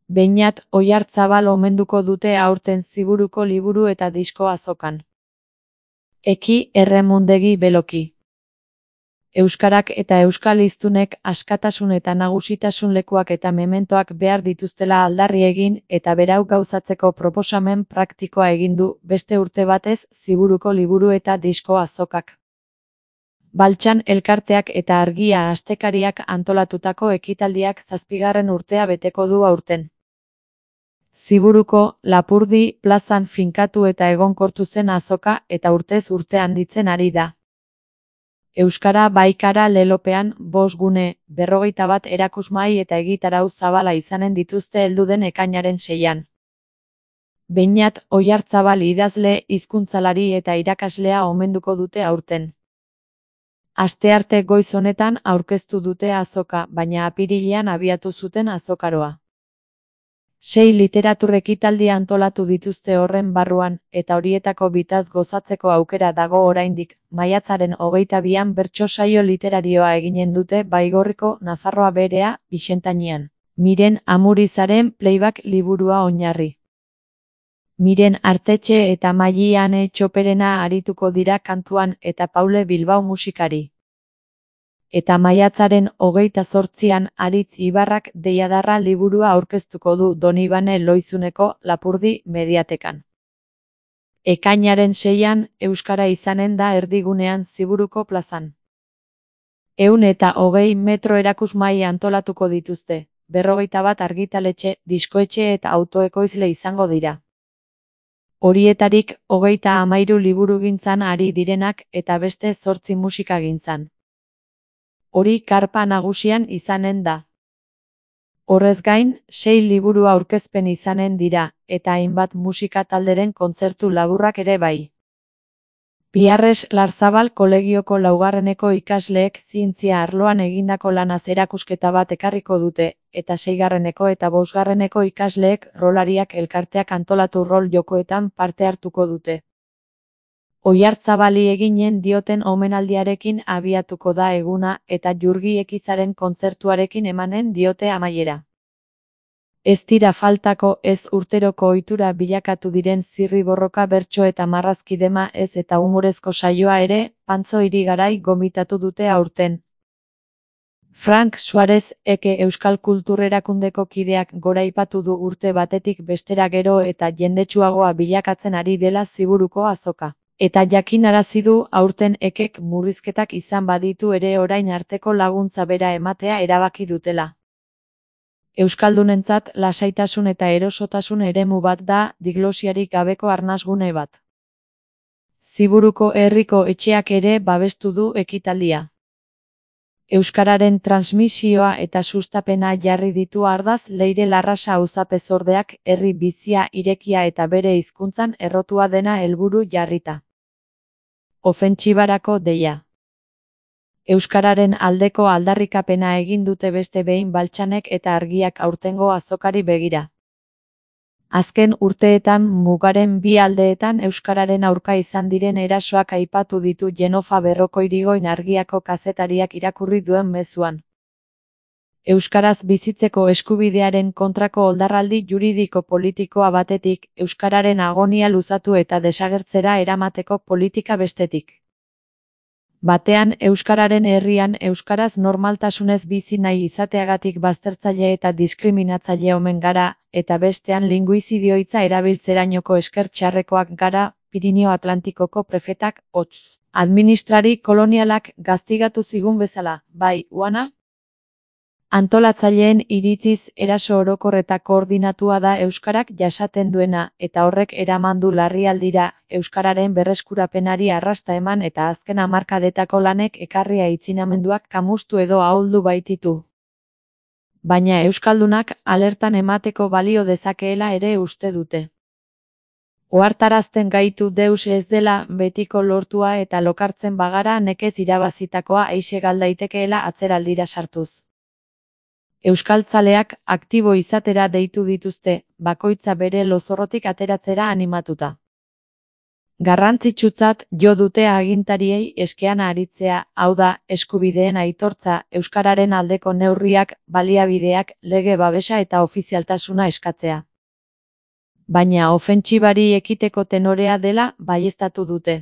Beñat Oiartzabal omenduko dute aurten Ziburuko liburu eta disko azokan. Eki Erremundegi Beloki. Euskarak eta euskal hiztunek askatasun eta nagusitasun lekuak eta mementoak behar dituztela aldarri egin eta berau gauzatzeko proposamen praktikoa egin du beste urte batez Ziburuko liburu eta disko azokak. Baltsan elkarteak eta Argia astekariak antolatutako ekitaldiak 7. urtea beteko du aurten. Ziburuko Lapurdi plazan finkatu eta egonkortu zen azoka eta urtez urte handitzen ari da. Euskara Baikara lelopean 5 gune, 51 erakusmahai eta egitarau zabala izanen dituzte heldu den ekainaren 6an. Beñat Oiartzabal idazle, hizkuntzalari eta irakaslea omenduko dute aurten. Astearte goiz honetan aurkeztu dute azoka, baina apirilean abiatu zuten azokaroa. 6 literatur ekitaldi antolatu dituzte horren barruan, eta horietako bitaz gozatzeko aukera dago oraindik. Maiatzaren 22an bertso saio literarioa eginen dute Baigorriko Nafarroa Berea, Bixentainean. Miren Amurizaren Playback liburua oinarri. Miren Artetxe eta Maili Ane Txoperena arituko dira kantuan eta Paule Bilbao musikari. Eta maiatzaren 28an Aritz Ibarrak Deiadarra liburua aurkeztuko du Donibane Loizuneko Lapurdi mediatekan. Ekainaren 6an euskara izanen da erdigunean Ziburuko plazan. 120 metro erakusmahai antolatuko dituzte, 51 argitaletxe, diskoetxe eta autoekoizle izango dira. Horietarik 33 liburugintzan ari direnak eta beste 8 musikagintzan. Hori karpa nagusian izanen da. Horrez gain, 6 liburu aurkezpen izanen dira, eta hainbat musika talderen kontzertu laburrak ere bai. Biarres Larzabal kolegioko 4. ikasleek zientzia arloan egindako lanaz erakusketa bat ekarriko dute, eta 6. eta 5. ikasleek rolariak elkarteak antolatu rol jokoetan parte hartuko dute. Oiartzabali eginen dioten omenaldiarekin abiatuko da eguna eta Jurgi Ekizaren kontzertuarekin emanen diote amaiera. Ez dira faltako ez urteroko ohitura bilakatu diren zirriborroka bertso eta marrazki dema ez eta humorezko saioa ere, Pantzo Irigarai gonbidatu dute aurten. Frank Suarez, Eke Euskal Kultur Erakundeko kideak goraipatu du urte batetik bestera gero eta jendetsuagoa bilakatzen ari dela Ziburuko azoka. Eta jakinarazi du aurten Ekek murrizketak izan baditu ere orain arteko laguntza bera ematea erabaki dutela. Euskaldunentzat lasaitasun eta erosotasun eremu bat da, diglosiarik gabeko arnasgune bat. Ziburuko herriko etxeak ere babestu du ekitaldia. Euskararen transmisioa eta sustapena jarri ditu ardaz Leire Larrasa auzapezordeak herri bizia, irekia eta bere hizkuntzan errotua dena helburu jarrita. Ofentsibarako deia. Euskararen aldeko aldarrikapena egin dute beste behin Baltsanek eta Argiak aurtengo azokari begira. Azken urteetan mugaren bi aldeetan euskararen aurka izan diren erasoak aipatu ditu Jenofa Berrokoirigoin Argiako kazetariak irakurri duen mezuan. Euskaraz bizitzeko eskubidearen kontrako oldarraldi juridiko-politikoa batetik, euskararen agonia luzatu eta desagertzera eramateko politika bestetik. Batean euskararen herrian euskaraz normaltasunez bizi nahi izateagatik baztertzaile eta diskriminatzaile omen gara, eta bestean linguizidio hitza erabiltzerainoko esker txarrekoak gara, Pirinio Atlantikoko prefetak, hots. Administrari kolonialak gaztigatu zigun bezala, bai, Uana? Antolatzaileen iritziz eraso orokor eta koordinatua da euskarak jasaten duena, eta horrek eraman du larrialdira, euskararen berreskurapenari arrasta eman eta azken hamarkadetako lanek ekarria aitzinamenduak kamustu edo ahuldu baititu. Baina euskaldunak alertan emateko balio dezakeela ere uste dute. Ohartarazten gaitu deus ez dela betiko lortua eta lokartzen bagara nekez irabazitakoa aise gal daitekeela atzeraldira sartuz. Euskaltzaleak aktibo izatera deitu dituzte, bakoitza bere lozorrotik ateratzera animatuta. Garrantzitsutzat jo dute agintariei eskean aritzea, hau da, eskubideen aitortza, euskararen aldeko neurriak, baliabideak, lege babesa eta ofizialtasuna eskatzea. Baina ofentsibari ekiteko tenorea dela baieztatu dute.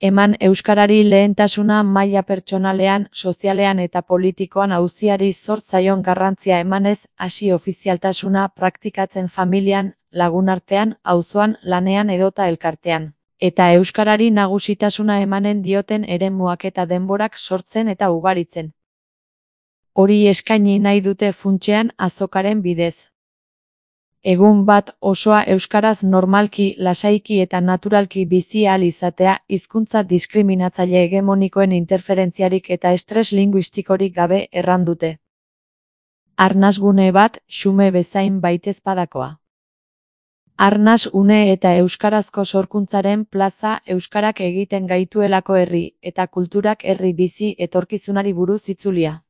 Eman euskarari lehentasuna maila pertsonalean, sozialean eta politikoan auziari zor zaion garrantzia emanez, hasi ofizialtasuna praktikatzen familian, lagunartean, auzoan, lanean edota elkartean. Eta euskarari nagusitasuna emanen dioten eremuak eta denborak sortzen eta ugaritzen. Hori eskaini nahi dute funtsean azokaren bidez. Egun bat osoa euskaraz normalki, lasaiki eta naturalki bizi ahal izatea, hizkuntza diskriminatzaile hegemonikoen interferentziarik eta estres linguistikorik gabe errandute. Arnasgune bat, xume bezain baitezpadakoa. Arnas une eta euskarazko sorkuntzaren plaza euskarak egiten gaituelako herri, eta kulturak herri bizi etorkizunari buruz itzulia.